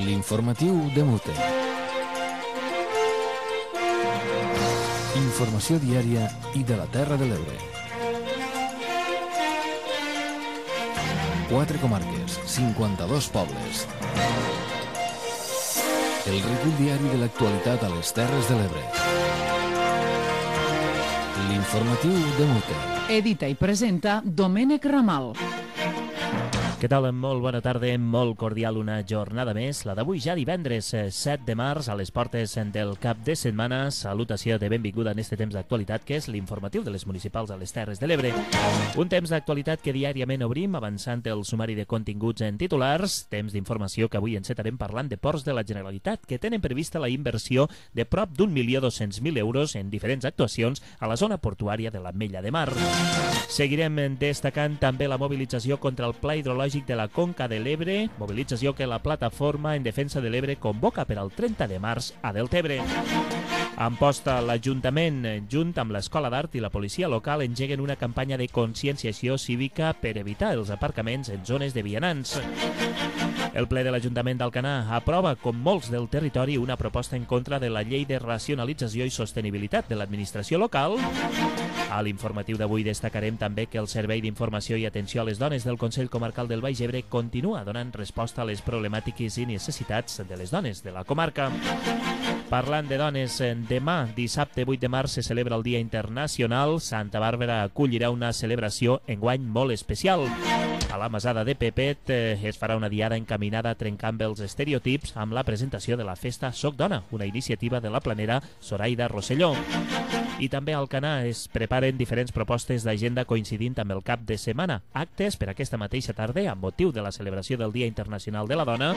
L'informatiu de Mute. Informació diària i de la Terra de l'Ebre. 4 comarques, 52 pobles. El recull diari de l'actualitat a les Terres de l'Ebre. L'informatiu de Mute. Edita i presenta Domènec Ramal. Què tal? Molt bona tarda, molt cordial una jornada més, la d'avui ja divendres 7 de març, a les portes del cap de setmana. Salutació de benvinguda en este temps d'actualitat, que és l'informatiu de les municipals a les Terres de l'Ebre. Un temps d'actualitat que diàriament obrim, avançant el sumari de continguts en titulars, temps d'informació que avui encetarem parlant de ports de la Generalitat, que tenen prevista la inversió de prop d'1.200.000 euros en diferents actuacions a la zona portuària de l'Ametlla de Mar. Seguirem destacant també la mobilització contra el Pla Hidrològic de la Conca de l'Ebre, mobilització que la Plataforma en Defensa de l'Ebre convoca per al 30 de març a Deltebre. A Amposta, l'Ajuntament, junt amb l'Escola d'Art i la policia local, engeguen una campanya de conscienciació cívica per evitar els aparcaments en zones de vianants. El ple de l'Ajuntament d'Alcanar aprova, com molts del territori, una proposta en contra de la llei de racionalització i sostenibilitat de l'administració local. A l'informatiu d'avui destacarem també que el Servei d'Informació i Atenció a les Dones del Consell Comarcal del Baix Ebre continua donant resposta a les problemàtiques i necessitats de les dones de la comarca. Parlant de dones, demà, dissabte 8 de març, se celebra el Dia Internacional. Santa Bàrbara acollirà una celebració enguany molt especial. A la Masada de Pepet es farà una diada encaminada a trencar amb els estereotips amb la presentació de la festa Soc Dona, una iniciativa de la planera Zoraida Rosselló. I també a Alcanar es preparen diferents propostes d'agenda coincidint amb el cap de setmana. Actes per aquesta mateixa tarda amb motiu de la celebració del Dia Internacional de la Dona,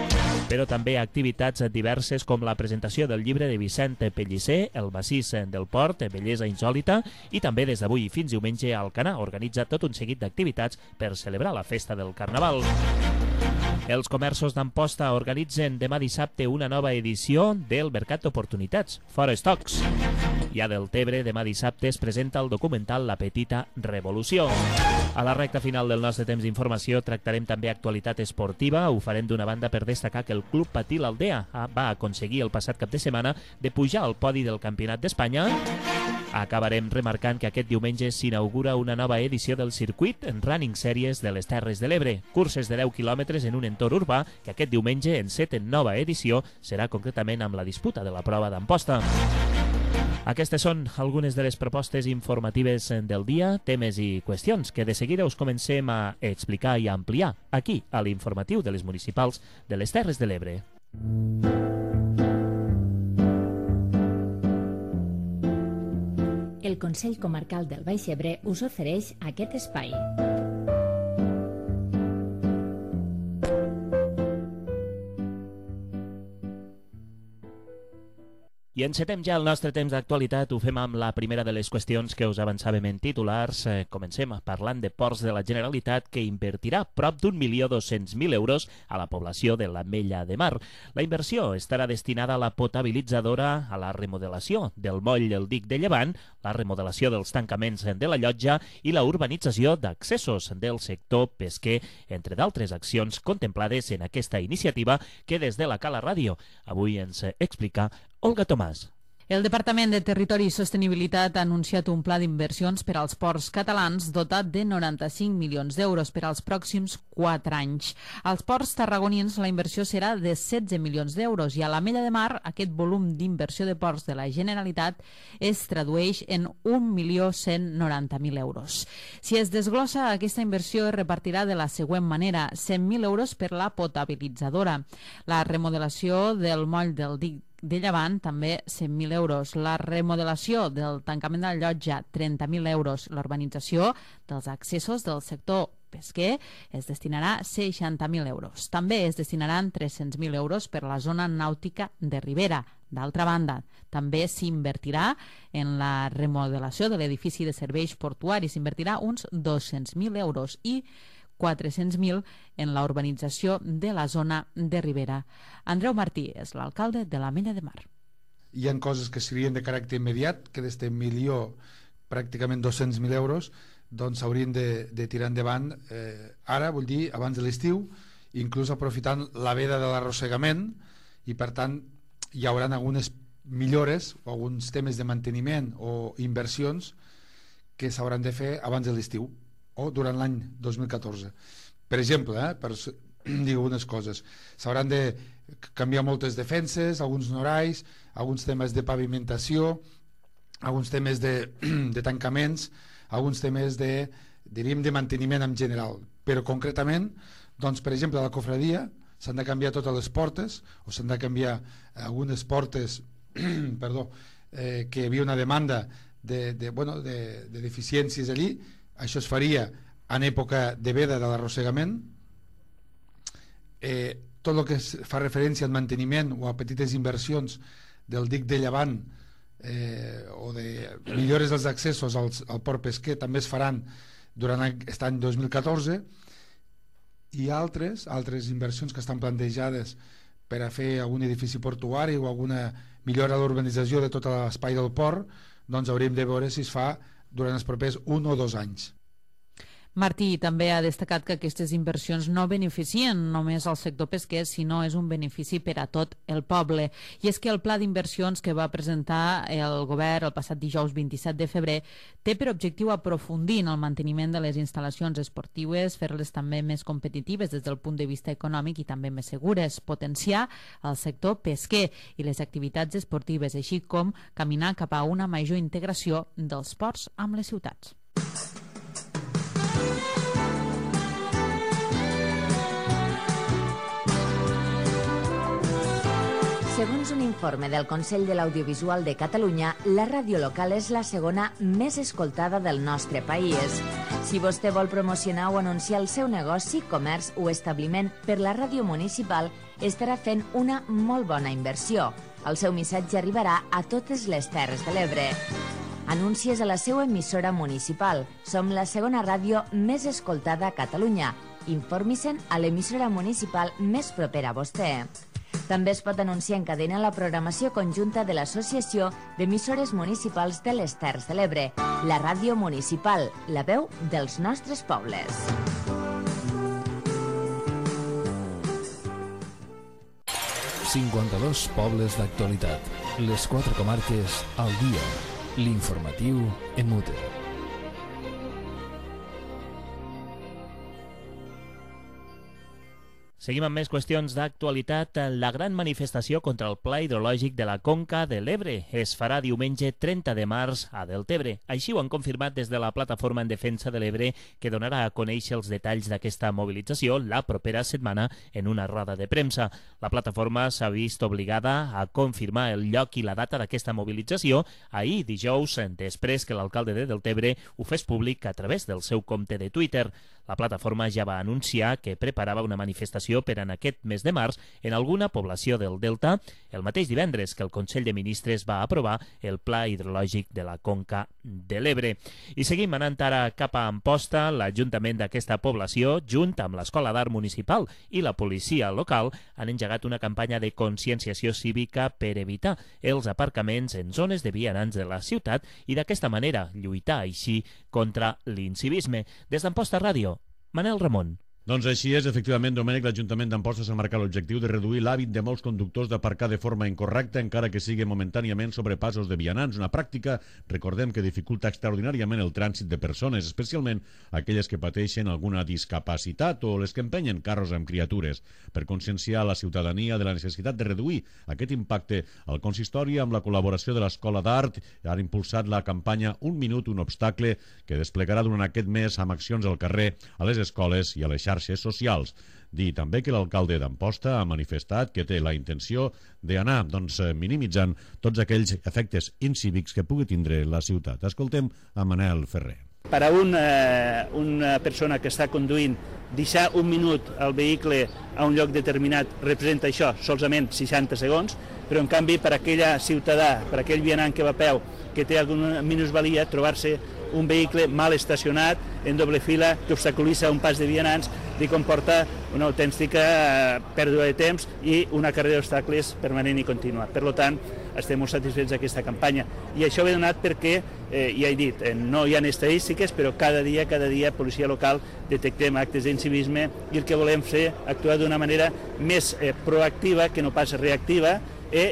però també activitats diverses com la presentació del llibre de Vicent Pellicer, El massís del Port, Bellesa insòlita, i també des d'avui fins diumenge Alcanar organitza tot un seguit d'activitats per celebrar la festa del Carnaval. Els comerços d'Amposta organitzen demà dissabte una nova edició del Mercat d'Oportunitats, Fora Stocks. I a Deltebre, demà dissabte, es presenta el documental La Petita Revolució. A la recta final del nostre temps d'informació tractarem també actualitat esportiva. Ho farem d'una banda per destacar que el Club Patí l'Aldea va aconseguir el passat cap de setmana de pujar al podi del Campionat d'Espanya. Acabarem remarcant que aquest diumenge s'inaugura una nova edició del circuit en Running Series de les Terres de l'Ebre. Curses de 10 quilòmetres en un entorn urbà que aquest diumenge enceten nova edició, serà concretament amb la disputa de la prova d'Amposta. Aquestes són algunes de les propostes informatives del dia, temes i qüestions que de seguida us comencem a explicar i a ampliar aquí, a l'informatiu de les municipals de les Terres de l'Ebre. El Consell Comarcal del Baix Ebre us ofereix aquest espai. I encetem ja el nostre temps d'actualitat. Ho fem amb la primera de les qüestions que us avançàvem en titulars. Comencem parlant de Ports de la Generalitat, que invertirà prop d'1.200.000 euros a la població de l'Ametlla de Mar. La inversió estarà destinada a la potabilitzadora, a la remodelació del moll del dic de Llevant, la remodelació dels tancaments de la llotja i la urbanització d'accessos del sector pesquer, entre d'altres accions contemplades en aquesta iniciativa que des de la Cala Ràdio avui ens explica Olga Tomàs. El Departament de Territori i Sostenibilitat ha anunciat un pla d'inversions per als ports catalans dotat de 95 milions d'euros per als pròxims 4 anys. Als ports tarragonins la inversió serà de 16 milions d'euros i a l'Ametlla de Mar aquest volum d'inversió de ports de la Generalitat es tradueix en 1.190.000 euros. Si es desglossa, aquesta inversió es repartirà de la següent manera: 100.000 euros per la potabilitzadora, la remodelació del moll del dic de Llevant, també 100.000 euros. La remodelació del tancament de la llotja, 30.000 euros. L'urbanització dels accessos del sector pesquer es destinarà 60.000 euros. També es destinaran 300.000 euros per la zona nàutica de Ribera. D'altra banda, també s'invertirà en la remodelació de l'edifici de serveis portuaris. S'invertirà uns 200.000 euros i 400.000 en la urbanització de la zona de Ribera. Andreu Martí és l'alcalde de l'Ametlla de Mar. Hi ha coses que serien de caràcter immediat, que d'este milió, pràcticament 200.000 euros, doncs s'haurien de tirar endavant ara, vull dir, abans de l'estiu, inclús aprofitant la veda de l'arrossegament, i per tant hi haurà algunes millores o alguns temes de manteniment o inversions que s'hauran de fer abans de l'estiu o durant l'any 2014. Per exemple, per dir algunes coses, s'hauran de canviar moltes defenses, alguns norais, alguns temes de pavimentació, alguns temes de tancaments, alguns temes de manteniment en general. Però concretament, doncs, per exemple, a la cofradia s'han de canviar totes les portes, o s'han de canviar algunes portes que hi havia una demanda de deficiències allí. Això es faria en època de veda de l'arrossegament. Tot el que fa referència al manteniment o a petites inversions del dic de llevant o de millores dels accessos al port pesquer també es faran durant aquest any 2014, i altres inversions que estan plantejades per a fer algun edifici portuari o alguna millora a l'urbanització de tot l'espai del port, doncs hauríem de veure si es fa durant els propers 1 o 2 anys. Martí també ha destacat que aquestes inversions no beneficien només al sector pesquer, sinó és un benefici per a tot el poble. I és que el pla d'inversions que va presentar el govern el passat dijous 27 de febrer té per objectiu aprofundir en el manteniment de les instal·lacions esportives, fer-les també més competitives des del punt de vista econòmic i també més segures, potenciar el sector pesquer i les activitats esportives, així com caminar cap a una major integració dels ports amb les ciutats. Segons un informe del Consell de l'Audiovisual de Catalunya, la ràdio local és la segona més escoltada del nostre país. Si vostè vol promocionar o anunciar el seu negoci, comerç o establiment per la ràdio municipal, estarà fent una molt bona inversió. El seu missatge arribarà a totes les Terres de l'Ebre. Anuncies a la seva emissora municipal. Som la segona ràdio més escoltada a Catalunya. Informi-se'n a l'emissora municipal més propera a vostè. També es pot anunciar en cadena la programació conjunta de l'Associació d'Emissores Municipals de les Terres de l'Ebre, la ràdio municipal, la veu dels nostres pobles. ...52 pobles d'actualitat. Les 4 comarques al dia. L'informatiu en Mute. Seguim amb més qüestions d'actualitat. La gran manifestació contra el pla hidrològic de la Conca de l'Ebre es farà diumenge 30 de març a Deltebre. Així ho han confirmat des de la Plataforma en Defensa de l'Ebre, que donarà a conèixer els detalls d'aquesta mobilització la propera setmana en una roda de premsa. La plataforma s'ha vist obligada a confirmar el lloc i la data d'aquesta mobilització ahir, dijous, després que l'alcalde de Deltebre ho fes públic a través del seu compte de Twitter. La plataforma ja va anunciar que preparava una manifestació per en aquest mes de març en alguna població del Delta, el mateix divendres que el Consell de Ministres va aprovar el Pla Hidrològic de la Conca de l'Ebre. I seguim anant ara cap a Amposta. L'Ajuntament d'aquesta població, junt amb l'Escola d'Art Municipal i la policia local, han engegat una campanya de conscienciació cívica per evitar els aparcaments en zones de vianants de la ciutat i d'aquesta manera lluitar així contra l'incivisme. Des d'Amposta Ràdio, Manel Ramon. Doncs així és, efectivament, Domènec, l'Ajuntament d'Amposta s'ha marcat l'objectiu de reduir l'hàbit de molts conductors d'aparcar de forma incorrecta, encara que sigui momentàniament sobre passos de vianants, una pràctica, recordem, que dificulta extraordinàriament el trànsit de persones, especialment aquelles que pateixen alguna discapacitat o les que empenyen carros amb criatures. Per conscienciar la ciutadania de la necessitat de reduir aquest impacte, el consistori, amb la col·laboració de l'Escola d'Art, ha impulsat la campanya Un minut, un obstacle, que desplegarà durant aquest mes amb accions al carrer, a les escoles i a les xarxes socials. Dir també que l'alcalde d'Amposta ha manifestat que té la intenció d'anar minimitzant tots aquells efectes incívics que pugui tindre la ciutat. Escoltem a Manel Ferrer. Per a una persona que està conduint, deixar un minut el vehicle a un lloc determinat representa això, solament 60 segons, però en canvi per a aquella ciutadà, per a aquell vianant que va a peu, que té alguna minusvalia, trobar-se un vehicle mal estacionat, en doble fila, que obstaculitza un pas de vianants, li comporta una autèntica pèrdua de temps i una carrera d'obstacles permanent i contínua. Per tant, estem molt satisfets d'aquesta campanya. I això ve donat perquè, ja he dit, no hi ha estadístiques, però cada dia, policia local, detectem actes d'incivisme i el que volem fer actuar d'una manera més proactiva que no pas reactiva,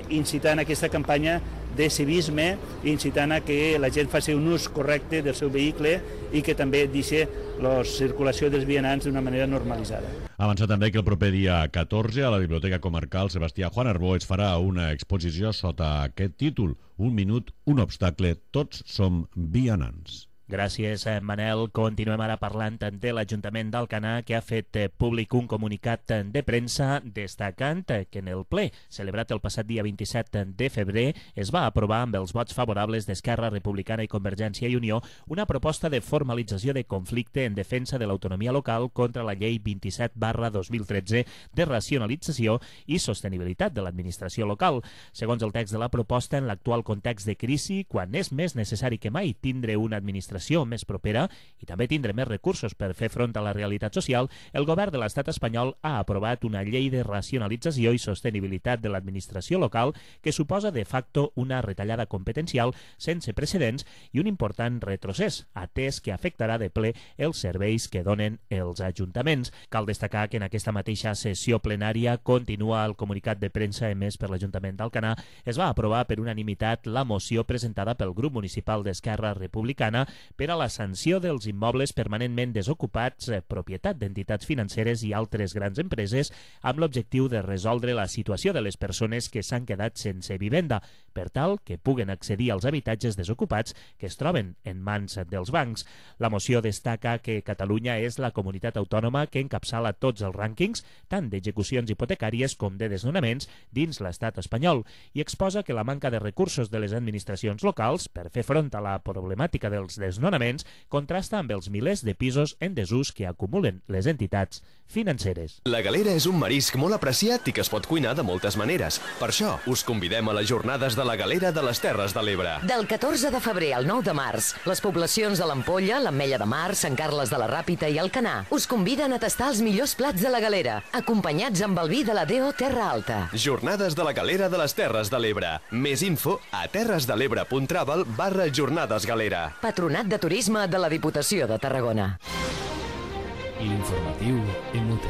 incitant aquesta campanya de civisme, incitant a que la gent faci un ús correcte del seu vehicle i que també deixi la circulació dels vianants d'una manera normalitzada. Avançar també que el proper dia 14 a la Biblioteca Comarcal Sebastià Juan Arbó es farà una exposició sota aquest títol: Un minut, un obstacle, tots som vianants. Gràcies, Manel. Continuem ara parlant de l'Ajuntament d'Alcanar, que ha fet públic un comunicat de premsa destacant que en el ple celebrat el passat dia 27 de febrer es va aprovar amb els vots favorables d'Esquerra Republicana i Convergència i Unió una proposta de formalització de conflicte en defensa de l'autonomia local contra la llei 27/2013 de racionalització i sostenibilitat de l'administració local. Segons el text de la proposta, en l'actual context de crisi, quan és més necessari que mai tindre una administració més propera i també tindre més recursos per fer front a la realitat social, el govern de l'estat espanyol ha aprovat una llei de racionalització i sostenibilitat de l'administració local que suposa de facto una retallada competencial sense precedents i un important retrocés, atès que afectarà de ple els serveis que donen els ajuntaments. Cal destacar que en aquesta mateixa sessió plenària continua el comunicat de premsa emès per l'Ajuntament d'Alcanar. Es va aprovar per unanimitat la moció presentada pel grup municipal d'Esquerra Republicana per a la sanció dels immobles permanentment desocupats, propietat d'entitats financeres i altres grans empreses, amb l'objectiu de resoldre la situació de les persones que s'han quedat sense vivenda, per tal que puguen accedir als habitatges desocupats que es troben en mans dels bancs. La moció destaca que Catalunya és la comunitat autònoma que encapçala tots els rànquings, tant d'execucions hipotecàries com de desnonaments, dins l'estat espanyol, i exposa que la manca de recursos de les administracions locals per fer front a la problemàtica dels desnonaments contrasta amb els milers de pisos en desús que acumulen les entitats financeres. La galera és un marisc molt apreciat i que es pot cuinar de moltes maneres. Per això, us convidem a les jornades de la galera de les Terres de l'Ebre. Del 14 de febrer al 9 de març, les poblacions de l'Ampolla, l'Ametlla de Mar, Sant Carles de la Ràpita i Alcanar us conviden a tastar els millors plats de la galera, acompanyats amb el vi de la DO Terra Alta. Jornades de la galera de les Terres de l'Ebre. Més info a terresdelebre.travel/jornadesgalera. Patronat de Turisme de la Diputació de Tarragona. L'informatiu MUT.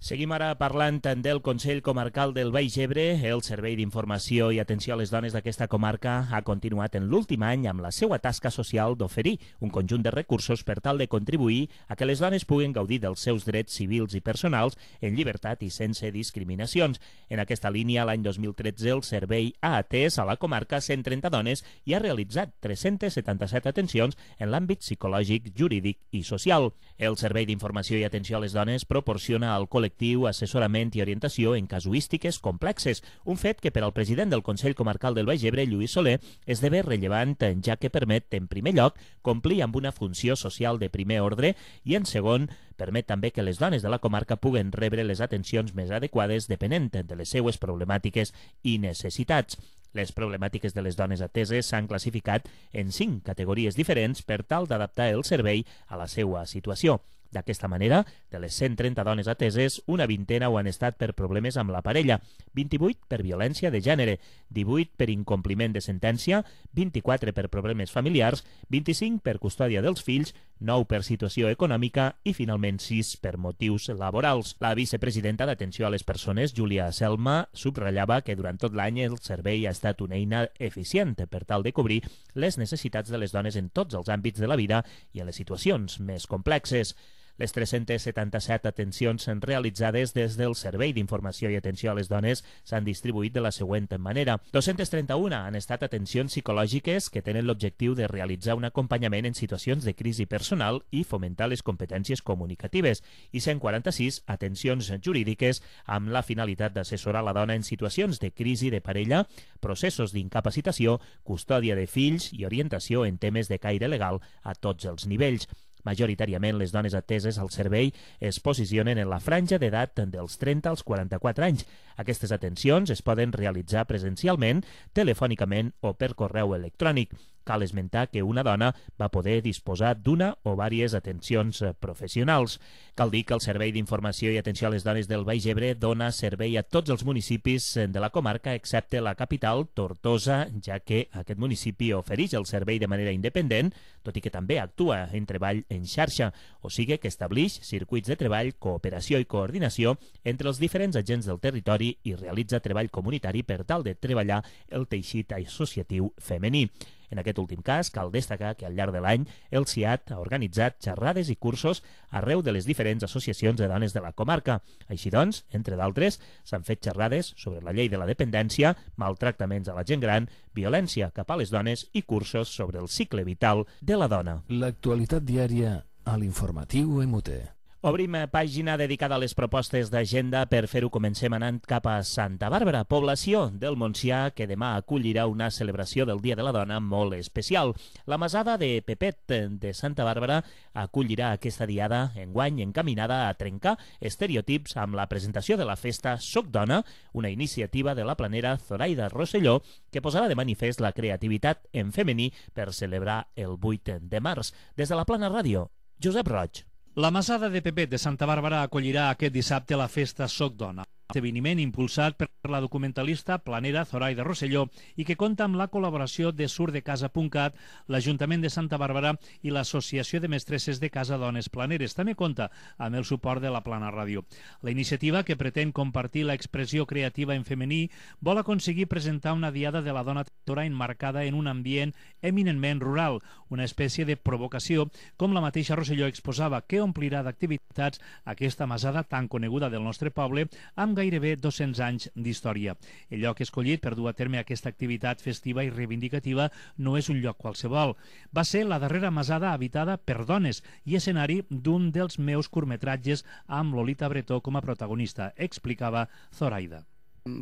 Seguim ara parlant del Consell Comarcal del Baix Ebre. El Servei d'Informació i Atenció a les Dones d'aquesta comarca ha continuat en l'últim any amb la seva tasca social d'oferir un conjunt de recursos per tal de contribuir a que les dones puguen gaudir dels seus drets civils i personals en llibertat i sense discriminacions. En aquesta línia, l'any 2013, el servei ha atès a la comarca 130 dones i ha realitzat 377 atencions en l'àmbit psicològic, jurídic i social. El Servei d'Informació i Atenció a les Dones proporciona al col·lectiu assessorament i orientació en casuístiques complexes, un fet que per al president del Consell Comarcal del Baix Ebre, Lluís Soler, esdevé rellevant, ja que permet, en primer lloc, complir amb una funció social de primer ordre i, en segon, permet també que les dones de la comarca puguen rebre les atencions més adequades depenent de les seues problemàtiques i necessitats. Les problemàtiques de les dones ateses s'han classificat en 5 categories diferents per tal d'adaptar el servei a la seva situació. D'aquesta manera, de les 130 dones ateses, una vintena ho han estat per problemes amb la parella, 28 per violència de gènere, 18 per incompliment de sentència, 24 per problemes familiars, 25 per custòdia dels fills, 9 per situació econòmica i, finalment, 6 per motius laborals. La vicepresidenta d'Atenció a les Persones, Júlia Selma, subratllava que durant tot l'any el servei ha estat una eina eficient per tal de cobrir les necessitats de les dones en tots els àmbits de la vida i en les situacions més complexes. Les 377 atencions realitzades des del Servei d'Informació i Atenció a les Dones s'han distribuït de la següent manera. 231 han estat atencions psicològiques que tenen l'objectiu de realitzar un acompanyament en situacions de crisi personal i fomentar les competències comunicatives, i 146 atencions jurídiques amb la finalitat d'assessorar la dona en situacions de crisi de parella, processos d'incapacitació, custòdia de fills i orientació en temes de caire legal a tots els nivells. Majoritàriament, les dones ateses al servei es posicionen en la franja d'edat dels 30 als 44 anys. Aquestes atencions es poden realitzar presencialment, telefònicament o per correu electrònic. Cal esmentar que una dona va poder disposar d'una o diverses atencions professionals. Cal dir que el Servei d'Informació i Atenció a les Dones del Baix Ebre dona servei a tots els municipis de la comarca, excepte la capital, Tortosa, ja que aquest municipi ofereix el servei de manera independent, tot i que també actua en treball en xarxa, o sigui que estableix circuits de treball, cooperació i coordinació entre els diferents agents del territori i realitza treball comunitari per tal de treballar el teixit associatiu femení. En aquest últim cas, cal destacar que al llarg de l'any el CIAT ha organitzat xerrades i cursos arreu de les diferents associacions de dones de la comarca. Així doncs, entre d'altres, s'han fet xerrades sobre la llei de la dependència, maltractaments a la gent gran, violència cap a les dones i cursos sobre el cicle vital de la dona. L'actualitat diària a l'informatiu MUT. Obrim pàgina dedicada a les propostes d'agenda. Per fer-ho comencem anant cap a Santa Bàrbara, població del Montsià que demà acollirà una celebració del Dia de la Dona molt especial. La Masada de Pepet de Santa Bàrbara acollirà aquesta diada enguany encaminada a trencar estereotips amb la presentació de la festa Soc Dona, una iniciativa de la planera Zoraida Rosselló que posarà de manifest la creativitat en femení per celebrar el 8 de març. Des de la Plana Ràdio, Josep Roig. La Masada de Pepet de Santa Bàrbara acollirà aquest dissabte la festa Soc Dona, esdeveniment impulsat per la documentalista planera Zoraida Rosselló i que compta amb la col·laboració de surdecasa.cat, l'Ajuntament de Santa Bàrbara i l'Associació de Mestresses de Casa Dones Planeres. També compta amb el suport de la Plana Ràdio. La iniciativa, que pretén compartir l'expressió creativa en femení, vol aconseguir presentar una diada de la dona tractora enmarcada en un ambient eminentment rural, una espècie de provocació, com la mateixa Rosselló exposava, que omplirà d'activitats aquesta masada tan coneguda del nostre poble amb gairebé 200 anys d'història. El lloc escollit per dur a terme aquesta activitat festiva i reivindicativa no és un lloc qualsevol. Va ser la darrera masada habitada per dones i escenari d'un dels meus curtmetratges amb Lolita Bretó com a protagonista, explicava Zoraida.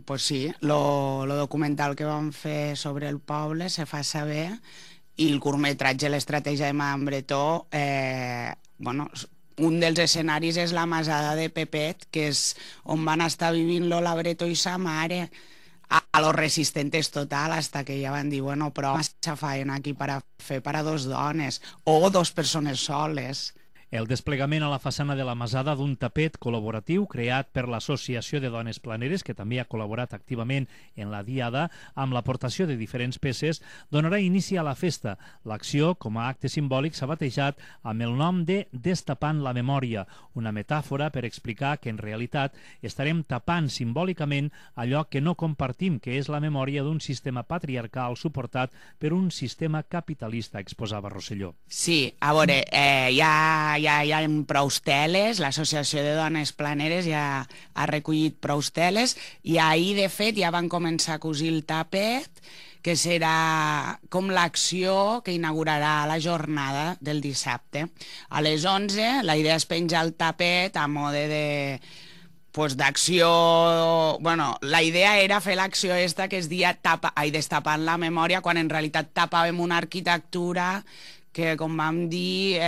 Pues sí, lo documental que vam fer sobre el poble se fa saber i el curtmetratge L'estratègia de Madame Bretó, un dels escenaris és la Masada de Pepet, que és on van estar vivint Lola Bretó i sa mare, a los resistentes total, hasta que ja van dir, bueno, però massa faena aquí per a fer per a dos dones o dos persones soles. El desplegament a la façana de la Masada d'un tapet col·laboratiu creat per l'Associació de Dones Planeres, que també ha col·laborat activament en la diada amb l'aportació de diferents peces, donarà inici a la festa. L'acció, com a acte simbòlic, s'ha batejat amb el nom de Destapant la Memòria, una metàfora per explicar que en realitat estarem tapant simbòlicament allò que no compartim, que és la memòria d'un sistema patriarcal suportat per un sistema capitalista, exposava Rosselló. Sí, a veure, hi ha prou teles, l'Associació de Dones Planeres ja ha recollit prou teles i ahir, de fet, ja van començar a cosir el tapet, que serà com l'acció que inaugurarà la jornada del dissabte. A les 11 la idea és penjar el tapet a mode d'acció... Bueno, la idea era fer l'acció esta que es dia Destapant la Memòria, quan en realitat tapàvem una arquitectura que, com vam dir,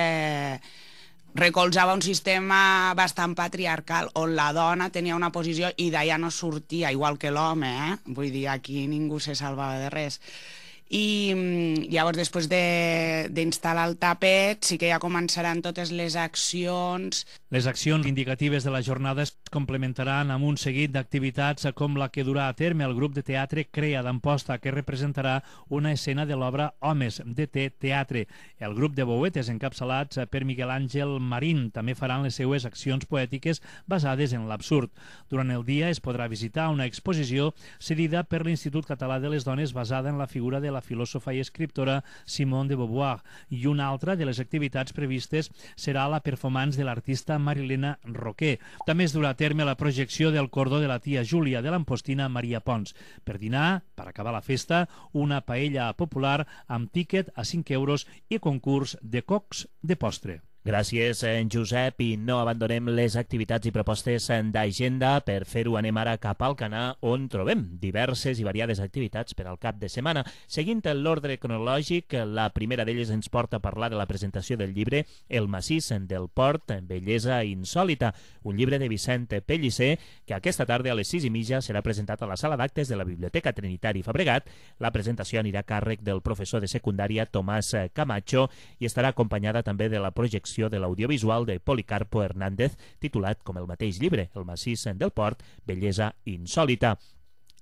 recolzava un sistema bastant patriarcal on la dona tenia una posició i d'allà no sortia, igual que l'home, Vull dir, aquí ningú se salvava de res. I llavors, després d'instal·lar el tapet, sí que ja començaran totes les accions. Les accions indicatives de la jornada es complementaran amb un seguit d'activitats com la que durà a terme el grup de teatre Crea d'Amposta, que representarà una escena de l'obra Homes, DT Teatre. El grup de bouetes encapçalats per Miguel Àngel Marín també faran les seues accions poètiques basades en l'absurd. Durant el dia es podrà visitar una exposició cedida per l'Institut Català de les Dones basada en la figura de la filòsofa i escriptora Simone de Beauvoir, i una altra de les activitats previstes serà la performance de l'artista Marilena Roquer. També es durà a terme la projecció del cordó de la tia Júlia de l'Ampostina Maria Pons. Per dinar, per acabar la festa, una paella popular amb tíquet a 5 euros i concurs de cocs de postre. Gràcies, Josep, i no abandonem les activitats i propostes d'agenda. Per fer-ho anem ara cap al Canà, on trobem diverses i variades activitats per al cap de setmana. Seguint l'ordre cronològic, la primera d'elles ens porta a parlar de la presentació del llibre El massís del Port, bellesa insòlita, un llibre de Vicent Pellicer, que aquesta tarda a les 6:30 serà presentat a la sala d'actes de la Biblioteca Trinitari Fabregat. La presentació anirà a càrrec del professor de secundària Tomàs Camacho i estarà acompanyada també de la projecció de l'audiovisual de Policarpo Hernández, titulat com el mateix llibre, El massís del Port, bellesa insòlita.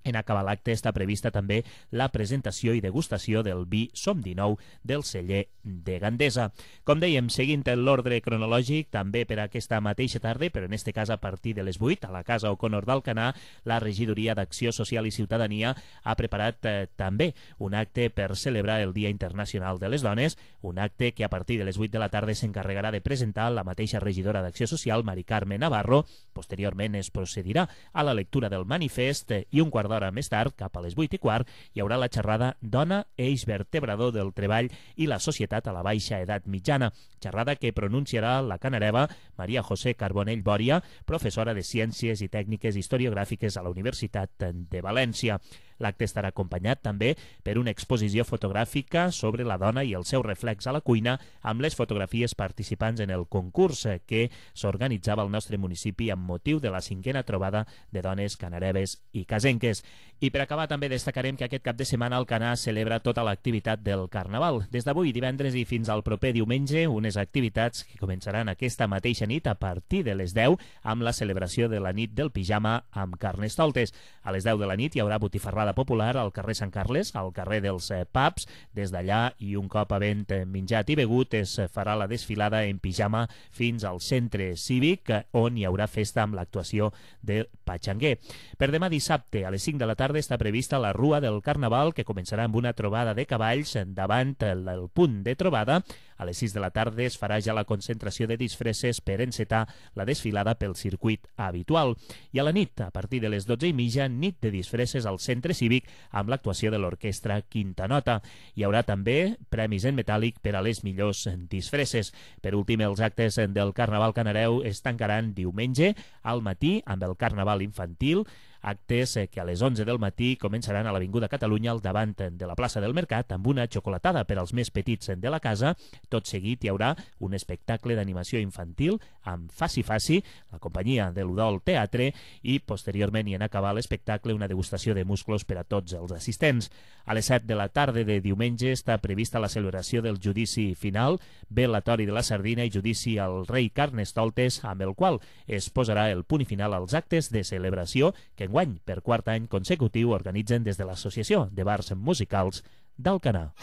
En acabar l'acte està prevista també la presentació i degustació del vi Som 19 del celler de Gandesa. Com dèiem, seguint l'ordre cronològic, també per aquesta mateixa tarda, però en este cas a partir de les 8, a la Casa O'Connor d'Alcanar, la Regidoria d'Acció Social i Ciutadania ha preparat també un acte per celebrar el Dia Internacional de les Dones, un acte que a partir de les 8 de la tarda s'encarregarà de presentar la mateixa regidora d'Acció Social, Mari Carme Navarro. Posteriorment es procedirà a la lectura del manifest i un quart d'hora més tard, cap a les 8:15, hi haurà la xerrada Dona, eix vertebrador del treball i la societat a la baixa edat mitjana, xerrada que pronunciarà la canareva Maria José Carbonell Bòria, professora de Ciències i Tècniques Historiogràfiques a la Universitat de València. L'acte estarà acompanyat també per una exposició fotogràfica sobre la dona i el seu reflex a la cuina, amb les fotografies participants en el concurs que s'organitzava al nostre municipi amb motiu de la 5a trobada de dones canareves i casenques. I per acabar també destacarem que aquest cap de setmana Alcanar celebra tota l'activitat del Carnaval. Des d'avui divendres i fins al proper diumenge, unes activitats que començaran aquesta mateixa nit a partir de les 10 amb la celebració de la nit del pijama amb Carnestoltes. A les 10 de la nit hi haurà botifarrada popular al carrer Sant Carles, al carrer dels Pubs. Des d'allà, i un cop havent menjat i begut, es farà la desfilada en pijama fins al centre cívic, on hi haurà festa amb l'actuació de Patxanguer. Per demà dissabte, a les 5 de la tarda, està prevista la Rua del Carnaval, que començarà amb una trobada de cavalls davant el punt de trobada. A les 6 de la tarda es farà ja la concentració de disfresses per encetar la desfilada pel circuit habitual. I a la nit, a partir de les 12:30, nit de disfresses al centre cívic amb l'actuació de l'orquestra Quinta Nota. Hi haurà també premis en metàl·lic per a les millors disfresses. Per últim, els actes del Carnaval Canareu es tancaran diumenge al matí amb el Carnaval infantil, actes que a les 11 del matí començaran a l'Avinguda Catalunya al davant de la plaça del Mercat amb una xocolatada per als més petits de la casa. Tot seguit hi haurà un espectacle d'animació infantil amb Faci Faci, la companyia de l'Udol Teatre, i posteriorment, i en acabar l'espectacle, una degustació de musclos per a tots els assistents. A les 7 de la tarda de diumenge està prevista la celebració del judici final, velatori de la sardina i judici al rei Carnestoltes, amb el qual es posarà el punt final als actes de celebració que enguany, per quart any consecutiu, organitzen des de l'Associació de Bars Musicals d'Alcanar.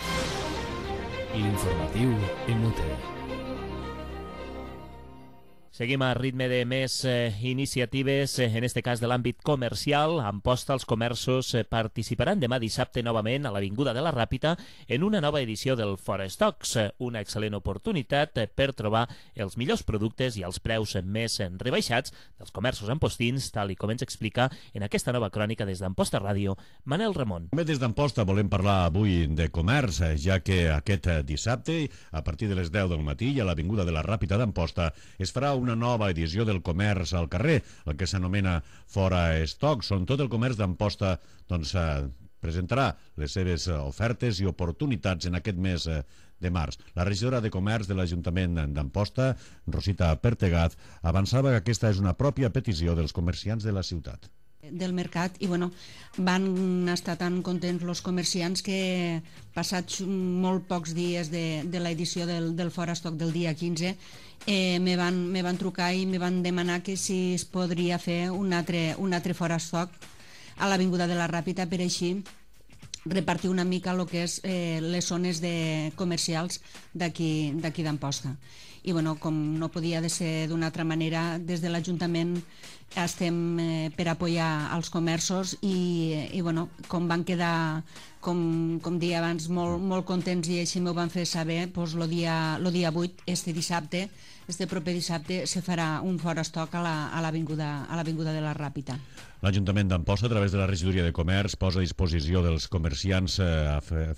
L'informatiu Emute. Seguim a ritme de més iniciatives, en este cas de l'àmbit comercial. Amposta, els comerços participaran demà dissabte novament a l'Avinguda de la Ràpita en una nova edició del Fora Stocks, una excel·lent oportunitat per trobar els millors productes i els preus més rebaixats dels comerços ampostins, tal i com ens explica en aquesta nova crònica des d'Amposta Ràdio, Manel Ramon. També des d'Amposta volem parlar avui de comerç, ja que aquest dissabte, a partir de les 10 del matí, a l'Avinguda de la Ràpita d'Amposta, es farà una nova edició del comerç al carrer, el que s'anomena Fora Stocks, on tot el comerç d'Amposta presentarà les seves ofertes i oportunitats en aquest mes de març. La regidora de Comerç de l'Ajuntament d'Amposta, Rosita Pertegaz, avançava que aquesta és una pròpia petició dels comerciants de la ciutat. Del mercat, i bueno, van estar tan contents els comerciants que passats molt pocs dies de l'edició del Fora Stock del dia 15 me van trucar i me van demanar que si es podria fer un altre Fora Stock a l'Avinguda de la Ràpita, per així repartir una mica el que és les zones comercials d'aquí d'Amposta. I bueno, com no podia ser d'una altra manera, des de l'Ajuntament estem per apoyar els comerços i bueno, com van quedar, com deia abans, molt contents i així m'ho van fer saber, doncs el dia 8, este proper dissabte, se farà un Fora Stock a l'Avinguda de la Ràpita. L'Ajuntament d'Amposta, a través de la Regidoria de Comerç, posa a disposició dels comerciants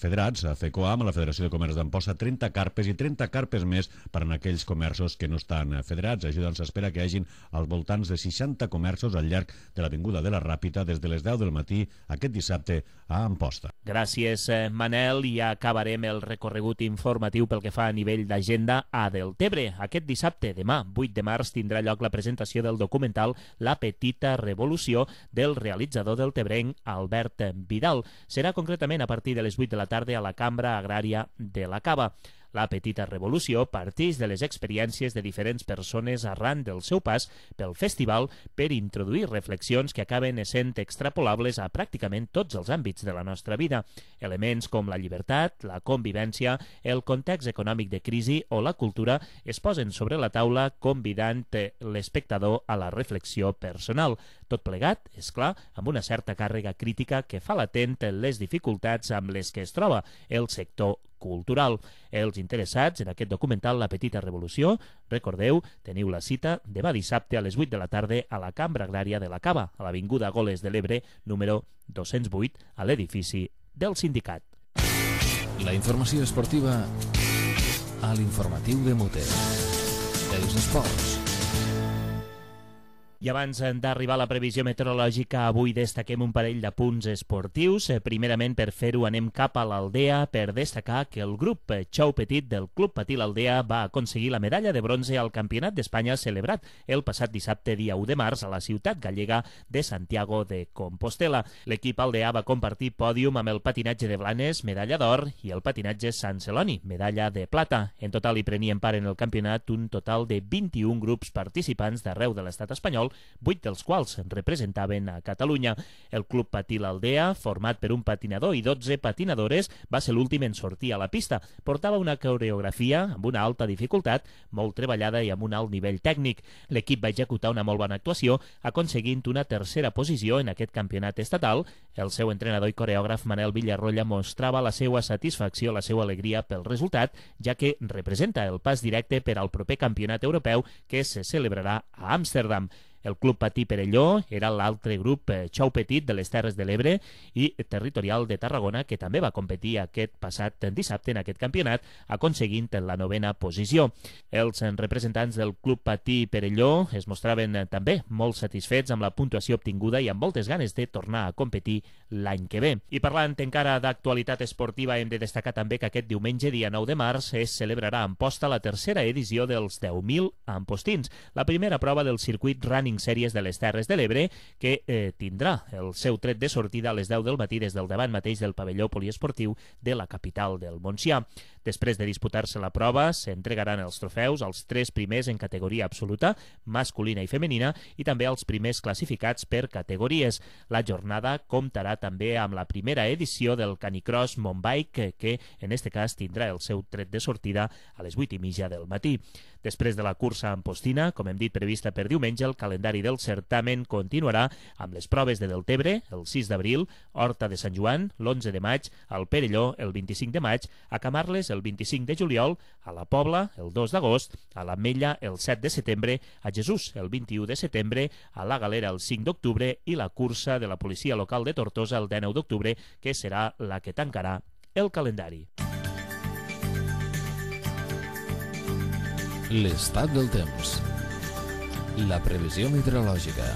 federats, a FECOAM, a la Federació de Comerç d'Amposta, 30 carpes i 30 carpes més per a aquells aquells comerços que no estan federats. Així doncs s'espera que hi hagin als voltants de 60 comerços al llarg de l'Avinguda de la Ràpita des de les 10 del matí aquest dissabte a Amposta. Gràcies, Manel. I acabarem el recorregut informatiu pel que fa a nivell d'agenda a Deltebre. Aquest dissabte, demà, 8 de març, tindrà lloc la presentació del documental La petita revolució del realitzador deltebrenc Albert Vidal. Serà concretament a partir de les 8 de la tarda a la Cambra Agrària de la Cava. La petita revolució parteix de les experiències de diferents persones arran del seu pas pel festival per introduir reflexions que acaben essent extrapolables a pràcticament tots els àmbits de la nostra vida. Elements com la llibertat, la convivència, el context econòmic de crisi o la cultura es posen sobre la taula convidant l'espectador a la reflexió personal. Tot plegat, és clar, amb una certa càrrega crítica que fa latent les dificultats amb les que es troba el sector cultural. Els interessats en aquest documental La petita revolució, recordeu, teniu la cita demà dissabte a les 8 de la tarda a la Cambra Agrària de la Cava, a l'Avinguda Goles de l'Ebre, número 208, a l'edifici del sindicat. La informació esportiva a l'informatiu de Muter. Els esports. I abans d'arribar a la previsió meteorològica, avui destaquem un parell de punts esportius. Primerament, per fer-ho, anem cap a l'Aldea per destacar que el grup Xou Petit del Club Patí l'Aldea va aconseguir la medalla de bronze al Campionat d'Espanya celebrat el passat dissabte, dia 1 de març, a la ciutat gallega de Santiago de Compostela. L'equip aldea va compartir pòdium amb el patinatge de Blanes, medalla d'or, i el patinatge Sant Celoni, medalla de plata. En total hi prenien part en el campionat un total de 21 grups participants d'arreu de l'estat espanyol, 8 dels quals representaven a Catalunya. El Club Patí l'Aldea, format per un patinador i 12 patinadores, va ser l'últim en sortir a la pista. Portava una coreografia amb una alta dificultat, molt treballada i amb un alt nivell tècnic. L'equip va executar una molt bona actuació, aconseguint una tercera posició en aquest campionat estatal. El seu entrenador i coreògraf Manel Villarroya mostrava la seva satisfacció, la seva alegria pel resultat, ja que representa el pas directe per al proper campionat europeu que se celebrarà a Amsterdam. El Club Patí Perelló era l'altre grup Xou Petit de les Terres de l'Ebre i territorial de Tarragona, que també va competir aquest passat dissabte en aquest campionat, aconseguint la 9a posició. Els representants del Club Patí Perelló es mostraven també molt satisfets amb la puntuació obtinguda i amb moltes ganes de tornar a competir l'any que ve. I parlant encara d'actualitat esportiva, hem de destacar també que aquest diumenge, dia 9 de març, es celebrarà a Amposta la tercera edició dels 10.000 ampostins, la primera prova del circuit Running Sèries de les Terres de l'Ebre, que tindrà el seu tret de sortida a les 10 del matí des del davant mateix del pavelló poliesportiu de la capital del Montsià. Després de disputar-se la prova, s'entregaran els trofeus als 3 primers en categoria absoluta, masculina i femenina, i també als primers classificats per categories. La jornada comptarà també amb la primera edició del Canicross Mounbike, que en este cas tindrà el seu tret de sortida a les 8:30 del matí. Després de la cursa ampostina, com hem dit, prevista per diumenge, el calendari del certamen continuarà amb les proves de Deltebre, el 6 d'abril, Horta de Sant Joan, l'11 de maig, al Perelló, el 25 de maig, a Camarles, el 25 de juliol, a la Pobla, el 2 d'agost, a l'Ametlla, el 7 de setembre, a Jesús, el 21 de setembre, a la Galera, el 5 d'octubre, i la cursa de la policia local de Tortosa, el 19 d'octubre, que serà la que tancarà el calendari. L'estat del temps. La previsió meteorològica.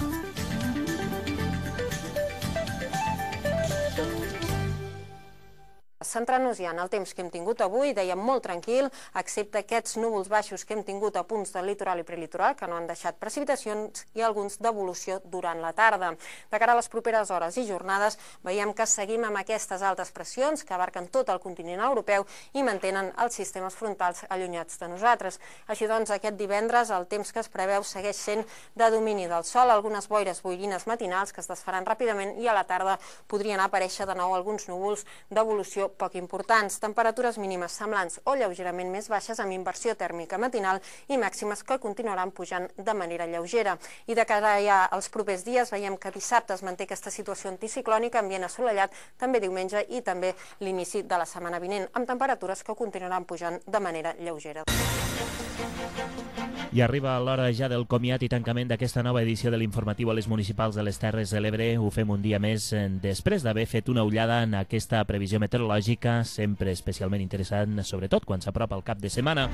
Centrant-nos ja en el temps que hem tingut avui, dèiem molt tranquil, excepte aquests núvols baixos que hem tingut a punts del litoral i prelitoral, que no han deixat precipitacions, i alguns d'evolució durant la tarda. De cara a les properes hores i jornades, veiem que seguim amb aquestes altes pressions que abarquen tot el continent europeu i mantenen els sistemes frontals allunyats de nosaltres. Així doncs, aquest divendres el temps que es preveu segueix sent de domini del sol, algunes boires boirines matinals que es desfaran ràpidament i a la tarda podrien aparèixer de nou alguns núvols d'evolució poc importants, temperatures mínimes semblants o lleugerament més baixes amb inversió tèrmica matinal i màximes que continuaran pujant de manera lleugera. I de cara ja als propers dies veiem que dissabte es manté aquesta situació anticiclònica, ambient assolellat, també diumenge i també l'inici de la setmana vinent, amb temperatures que continuaran pujant de manera lleugera. I arriba l'hora ja del comiat i tancament d'aquesta nova edició de l'informatiu a les municipals de les Terres de l'Ebre. Ho fem un dia més després d'haver fet una ullada en aquesta previsió meteorològica, sempre especialment interessant, sobretot quan s'apropa el cap de setmana.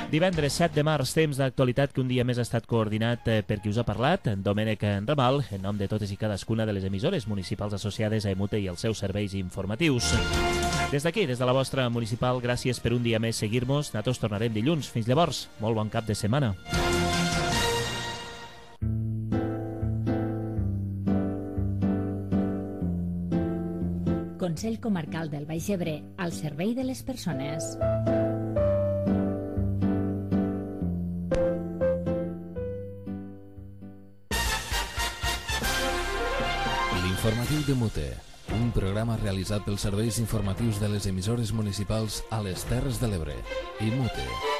Divendres 7 de març, temps d'actualitat que un dia més ha estat coordinat per qui us ha parlat, Domènec Ramal, en nom de totes i cadascuna de les emissores municipals associades a EMUTE i els seus serveis informatius. Des d'aquí, des de la vostra municipal, gràcies per un dia més seguir-nos. Nosaltres tornarem dilluns. Fins llavors, molt bon cap de setmana. Consell Comarcal del Baix Ebre, al servei de les persones. L'informatiu de Mute, un programa realitzat pels serveis informatius de les emissores municipals a les Terres de l'Ebre i Mute.